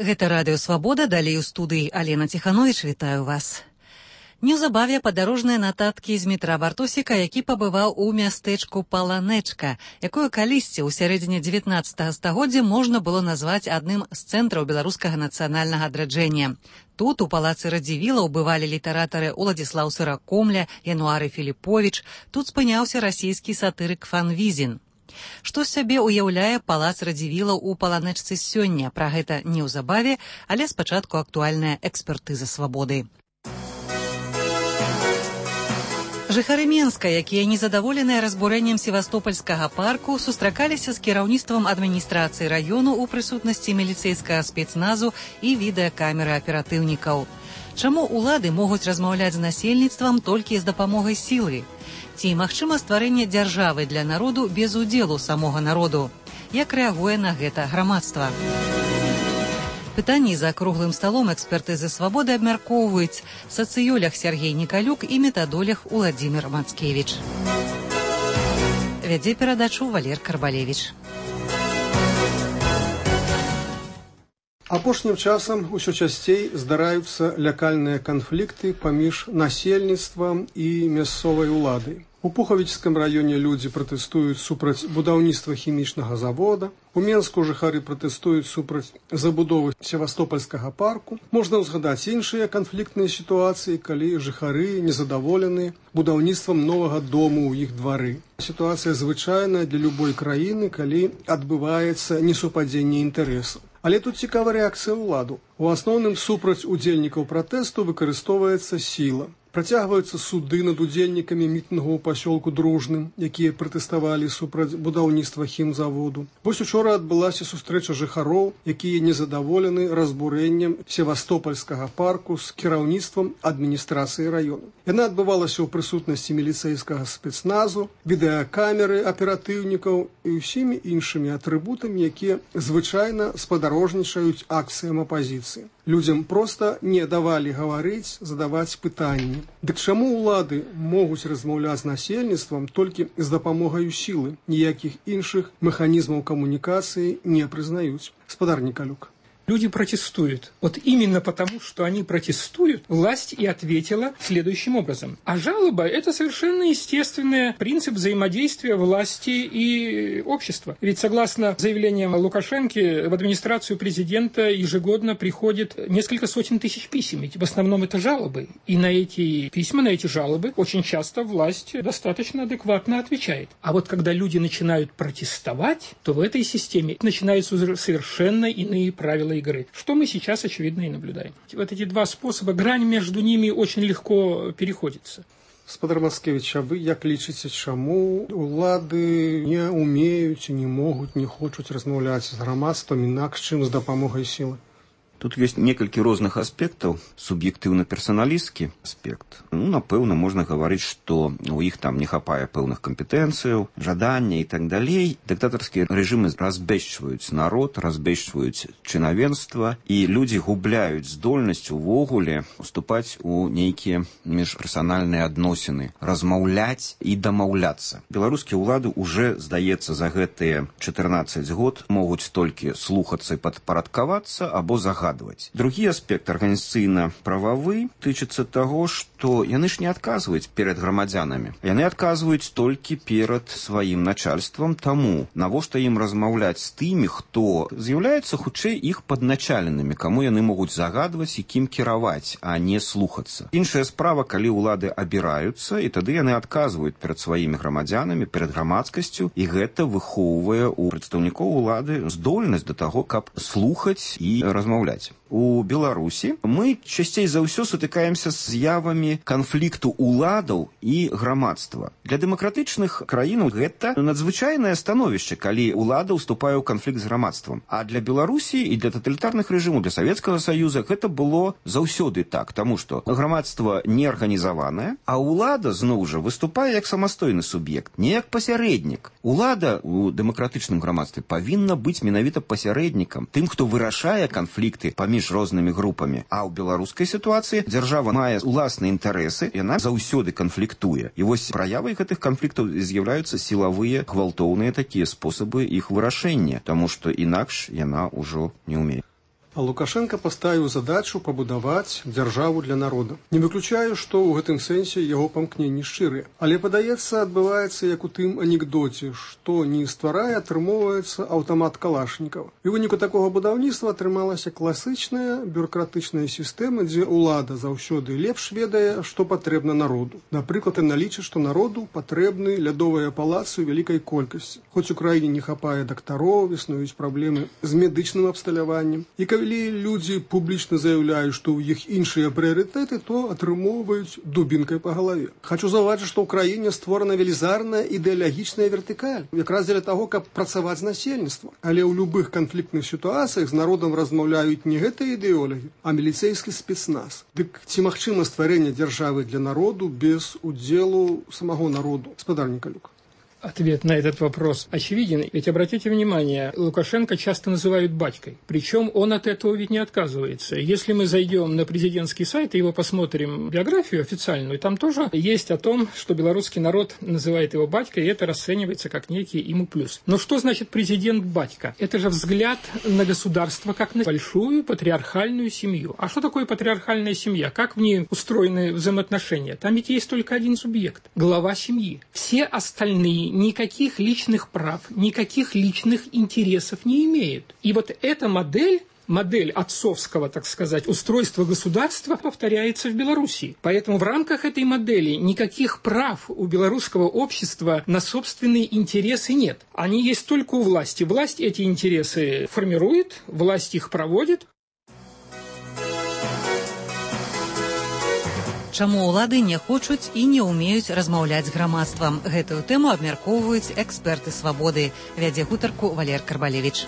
Гэта Радыё Свабода, далей у студыі Алена Ціхановіч, вітаю вас. Неўзабаве падарожныя нататкі з метра Бартосіка, які пабываў у мястэчку Паланэчка, якое калісьці ў сярэдзіне 19 стагоддзя можна было назваць адным з цэнтраў беларускага нацыянальнага адраджэння. Тут, у палацы Радзівілаў, бывалі літаратары Уладзіслаў Сыракомля, Януары Філіповіч, тут спыняўся расійскі сатырык Фанвізін. Што з сябе ўяўляе палац Радзівілаў у Паланэчцы сёння? Пра гэта неўзабаве, але спачатку актуальная экспертыза свабоды. Жыхары Менска, якія незадаволеныя разбурэннем севастопольскага парку, сустракаліся з кіраўніцтвам адміністрацыі раёну ў прысутнасці міліцэйскага спецназу і відэакамеры аператыўнікаў. Чаму ўлады могуць размаўляць з насельніцтвам толькі з дапамогай сілы? Ці магчыма стварэнне дзяржавы для народу без удзелу самога народу? Як рэагуе на гэта грамадства? Пытанні за круглым сталом экспертызы свабоды абмяркоўваюць сацыёлог Сергей Николюк і метадолог Уладзімір Мацкевіч. Вядзе перадачу Валер Карбалевіч. Апошнім часам усё часцей здараюцца лякальныя канфлікты паміж насельніцтвам і мясцовай уладай. У Пухавічскім раёне людзі пратэстуюць супраць будаўніцтва хімічнага завода. У Менску жыхары пратэстуюць супраць забудовы севастопольскага парку. Можна ўзгадаць іншыя канфліктныя сітуацыі, калі жыхары незадаволены будаўніцтвам новага дому ў іх двары. Сітуацыя звычайная для любой краіны, калі адбываецца несупадзенне інтарэсаў. Але тут цікавая рэакцыя ўладу. У асноўным супраць удзельнікаў пратэсту выкарыстоўваецца сіла. Працягваюцца суды над удзельнікамі мітынгу ў пасёлку Дружным, якія пратэставалі супраць будаўніцтва хімзаводу. Вось учора адбылася сустрэча жыхароў, якія незадаволены разбурэннем севастопольскага парку з кіраўніцтвам адміністрацыі раёну. Яна адбывалася ў прысутнасці міліцэйскага спецназу, відэакамеры аператыўнікаў і ўсімі іншымі атрыбутамі, якія звычайна спадарожнічаюць акцыям апазіцыі. Людзям проста не давалі гаварыць, задаваць пытанні. Дык чаму ўлады могуць размаўляць з насельніцтвам толькі з дапамогаю сілы? Ніякіх іншых механізмаў камунікацыі не прызнаюць. Спадар Николюк. Люди протестуют. Вот именно потому, что они протестуют, власть и ответила следующим образом. А жалоба – это совершенно естественный принцип взаимодействия власти и общества. Ведь согласно заявлениям Лукашенко, в администрацию президента ежегодно приходит несколько сотен тысяч писем. Ведь в основном это жалобы. И на эти письма, на эти жалобы очень часто власть достаточно адекватно отвечает. А вот когда люди начинают протестовать, то в этой системе начинаются совершенно иные правила игры, что мы сейчас, очевидно, и наблюдаем. Вот эти два способа, грань между ними очень легко переходится. Спадар Мацкевіч, а вы як лічыце, чаму улады не умеюць, не могуць, не хочуць размаўляць з грамадствам інакш, чым з дапамогай сілы? Тут ёсць некалькі розных аспектаў. Суб'ектыўна-персаналісцкі аспект. Напэўна, можна гаварыць, што у іх там не хапае пэўных кампетэнцыяў, жадання і так далей. Дыктатарскія рэжымы разбэшчваюць народ, разбэшчваюць чынавенства, і людзі губляюць здольнасць увогуле уступаць у нейкія міжперсанальныя адносіны, размаўляць і дамаўляцца. Беларускія ўлады уже, здаецца, за гэтыя 14 год могуць толькі слухацца і падпарадкавацца або загадваць. Другі аспект арганізацыйна-прававы тычыцца таго, што яны ж не адказваюць перад грамадзянамі. Яны адказваюць толькі перад сваім начальствам, таму навошта ім размаўляць з тымі, хто з'яўляецца хутчэй іх падначаленымі, каму яны могуць загадваць і кім кіраваць, а не слухацца. Іншая справа, калі ўлады абіраюцца, і тады яны адказваюць перад сваімі грамадзянамі, перад грамадскасцю, і гэта выхоўвае ў прадстаўнікоў улады здольнасць да таго, каб слухаць і размаўляць. У Беларусі мы часцей за ўсё сутыкаемся з з'явамі канфлікту уладаў і грамадства. Для дэмакратычных краін гэта надзвычайнае становішча, калі ўлада ўступае ў канфлікт з грамадствам. А для Беларусі і для таталітарных рэжымаў, для Савецкага Саюза гэта было заўсёды так, таму што грамадства не арганізаванае, а ўлада, зноў жа, выступае як самастойны суб'ект, не як пасярэднік. Улада ў дэмакратычным грамадстве павінна быць менавіта пасярэднікам, тым, хто вырашае канфлікты паміж рознымі групамі. А ў беларускай сітуацыі дзяржава мае ўласныя інтарэсы, яна заўсёды канфліктуе. І вось праявай гэтых канфліктаў з'яўляюцца сілавыя, гвалтоўныя такія спосабы іх вырашэння, таму што інакш яна ўжо не ўмее. А Лукашенко паставіў задачу пабудаваць дзяржаву для народа. Не выключаю, што ў гэтым сэнсе яго памкненні шчырыя. Але, падаецца, адбываецца як у тым анекдоце, што не стварае, атрымоўваецца аўтамат калашнікава. І ў выніку такога будаўніцтва атрымалася класычная бюракратычная сістэма, дзе ўлада заўсёды лепш ведае, што патрэбна народу. Напрыклад, яна лічыць, што народу патрэбны лядовыя палацы ў вялікай колькасці. Хоць у краіне не хапае дактароў, існуюць праблемы з медычным абсталяваннем. І калі людзі публічна заяўляюць, што ў іх іншыя прыярытэты, то атрымоўваюць дубінкай па галаве. Хачу заўважыць, што ў краіне створана велізарная ідэалагічная вертыкаль, якраз дзеля таго, каб працаваць з насельніцтвам. Але ў любых канфліктных сітуацыях з народам размаўляюць не гэтыя ідэолагі, а міліцейскі спецназ. Дык ці магчыма стварэнне дзяржавы для народу без удзелу самого народу? Спадар Николюк. Ответ на этот вопрос очевиден. Ведь обратите внимание, Лукашенко часто называют батькой. Причем он от этого ведь не отказывается. Если мы зайдем на президентский сайт и его посмотрим биографию официальную, там тоже есть о том, что белорусский народ называет его батькой, и это расценивается как некий ему плюс. Но что значит президент батька? Это же взгляд на государство как на большую патриархальную семью. А что такое патриархальная семья? Как в ней устроены взаимоотношения? Там ведь есть только один субъект – глава семьи. Все остальные никаких личных прав, никаких личных интересов не имеют. И вот эта модель отцовского, так сказать, устройства государства повторяется в Беларуси. Поэтому в рамках этой модели никаких прав у белорусского общества на собственные интересы нет. Они есть только у власти. Власть эти интересы формирует, власть их проводит. Чаму ўлады не хочуць і не ўмеюць размаўляць з грамадствам? Гэтую тэму абмяркоўваюць эксперты «Свабоды». Вядзе гутарку Валер Карбалевіч.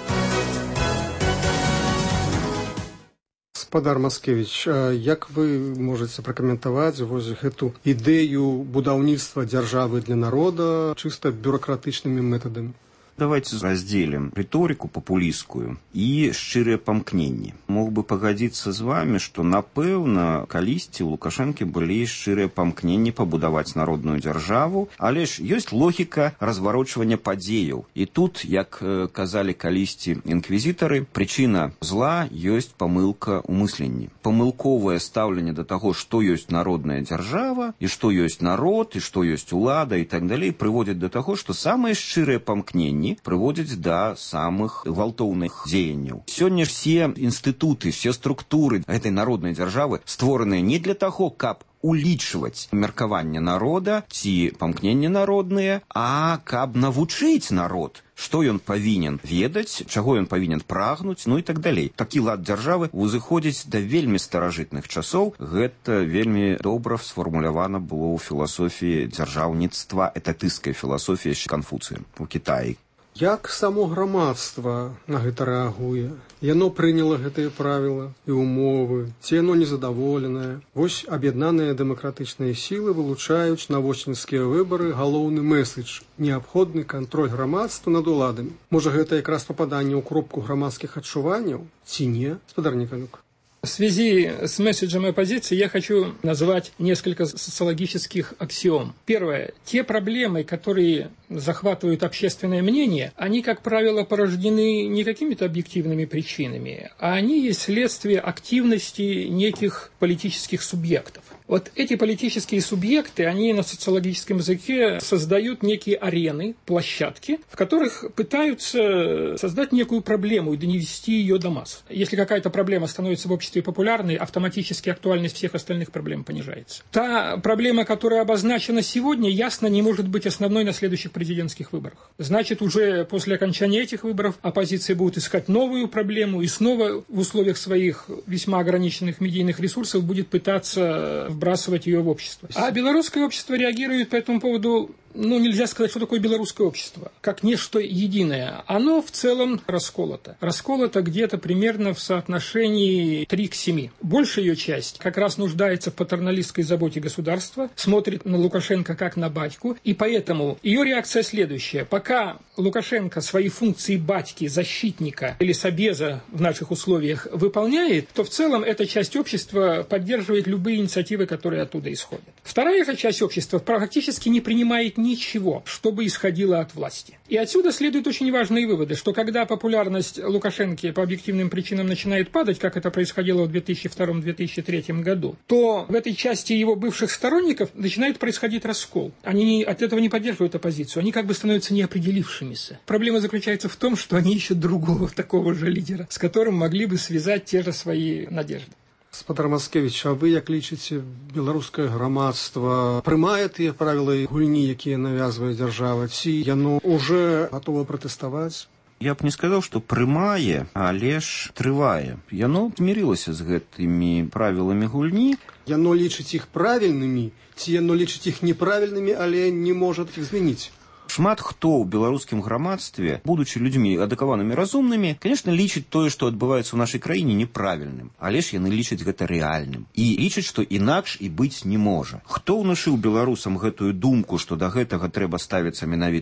Спадар Маскевіч, як вы можаце пракаментаваць вось гэту ідэю будаўніцтва дзяржавы для народа чыста бюракратычнымі метадамі? Давайте разделим риторику популистскую и шчырыя памкненні. Мог бы пагадзіцца з вами, што, напэўна, калісьці у Лукашэнкі былі шчырыя памкненні пабудаваць народную дзяржаву, але ж ёсць логіка разварочвання падзеяў. І тут, як казалі калісьці інквізітары, прычына зла ёсць памылка ў мысленні. Памылковае стаўленне да таго, што ёсць народная дзяржава, і што ёсць народ, і што ёсць улада і так далей, прыводзяць да таго, што самыя шчырыя памкненні прыводзяць да самых гвалтоўных дзеянняў. Сёння ж все інстытуты, все структуры гэтай народнай дзяржавы створаныя не для таго, каб улічваць меркаванне народа ці памкненні народныя, а каб навучыць народ, што ён павінен ведаць, чаго ён павінен прагнуць, ну і так далей. Такі лад дзяржавы узыходзіць да вельмі старажытных часоў. Гэта вельмі добра сфармулявана было ў філасофіі дзяржаўніцтва, этатысцкай філасофіі Канфуцыя у Кітаі. Як само грамадства на гэта рэагуе? Яно прыняла гэтыя правілы і ўмовы, ці яно незадаволенае? Вось аб'яднаныя дэмакратычныя сілы вылучаюць на восеньскія выбары галоўны мэсэдж – неабходны кантроль грамадства над уладамі. Можа, гэта якраз пападанне ў кропку грамадскіх адчуванняў? Ці не, спадар Николюк? В связи с месседжем оппозиции я хочу назвать несколько социологических аксиом. Первое. Те проблемы, которые захватывают общественное мнение, они, как правило, порождены не какими-то объективными причинами, а они есть следствие активности неких политических субъектов. Вот эти политические субъекты, они на социологическом языке создают некие арены, площадки, в которых пытаются создать некую проблему и донести ее до масс. Если какая-то проблема становится в обществе популярной, автоматически актуальность всех остальных проблем понижается. Та проблема, которая обозначена сегодня, ясно не может быть основной на следующих президентских выборах. Значит, уже после окончания этих выборов оппозиция будет искать новую проблему и снова в условиях своих весьма ограниченных медийных ресурсов будет пытаться вбрасывать ее в общество. А белорусское общество реагирует по этому поводу, нельзя сказать, что такое белорусское общество, как нечто единое. Оно в целом расколото. Расколото где-то примерно в соотношении 3:7. Большая ее часть как раз нуждается в патерналистской заботе государства, смотрит на Лукашенко как на батьку, и поэтому ее реакция следующая. Пока Лукашенко свои функции батьки, защитника или собеза в наших условиях выполняет, то в целом эта часть общества поддерживает любые инициативы, которые оттуда исходят. Вторая же часть общества практически не принимает ничего, чтобы исходило от власти. И отсюда следуют очень важные выводы, что когда популярность Лукашенко по объективным причинам начинает падать, как это происходило в 2002-2003 году, то в этой части его бывших сторонников начинает происходить раскол. Они от этого не поддерживают оппозицию, они как бы становятся неопределившимися. Проблема заключается в том, что они ищут другого такого же лидера, с которым могли бы связать те же свои надежды. Спадар Мацкевіч, а вы, як лічыце, беларускае грамадства прымае тыя правілы гульні, якія навязвае дзяржава, ці яно уже гатова пратэставаць? Я б не сказаў, што прымае, але ж трывае. Яно змірылася з гэтымі правіламі гульні. Яно лічыць іх правільнымі, ці яно лічыць іх неправільнымі, але не можа іх змяніць? Шмат хто ў беларускім грамадстве, будучы людзьмі адукаванымі разумнымі, конечно, лічыць тое, што адбываецца ў нашай краіне, неправільным. Але ж яны лічаць гэта рэальным. І лічаць, што інакш і быць не можа. Хто ўнушыў беларусам гэтую думку, што да гэтага трэба ставіцца менавіта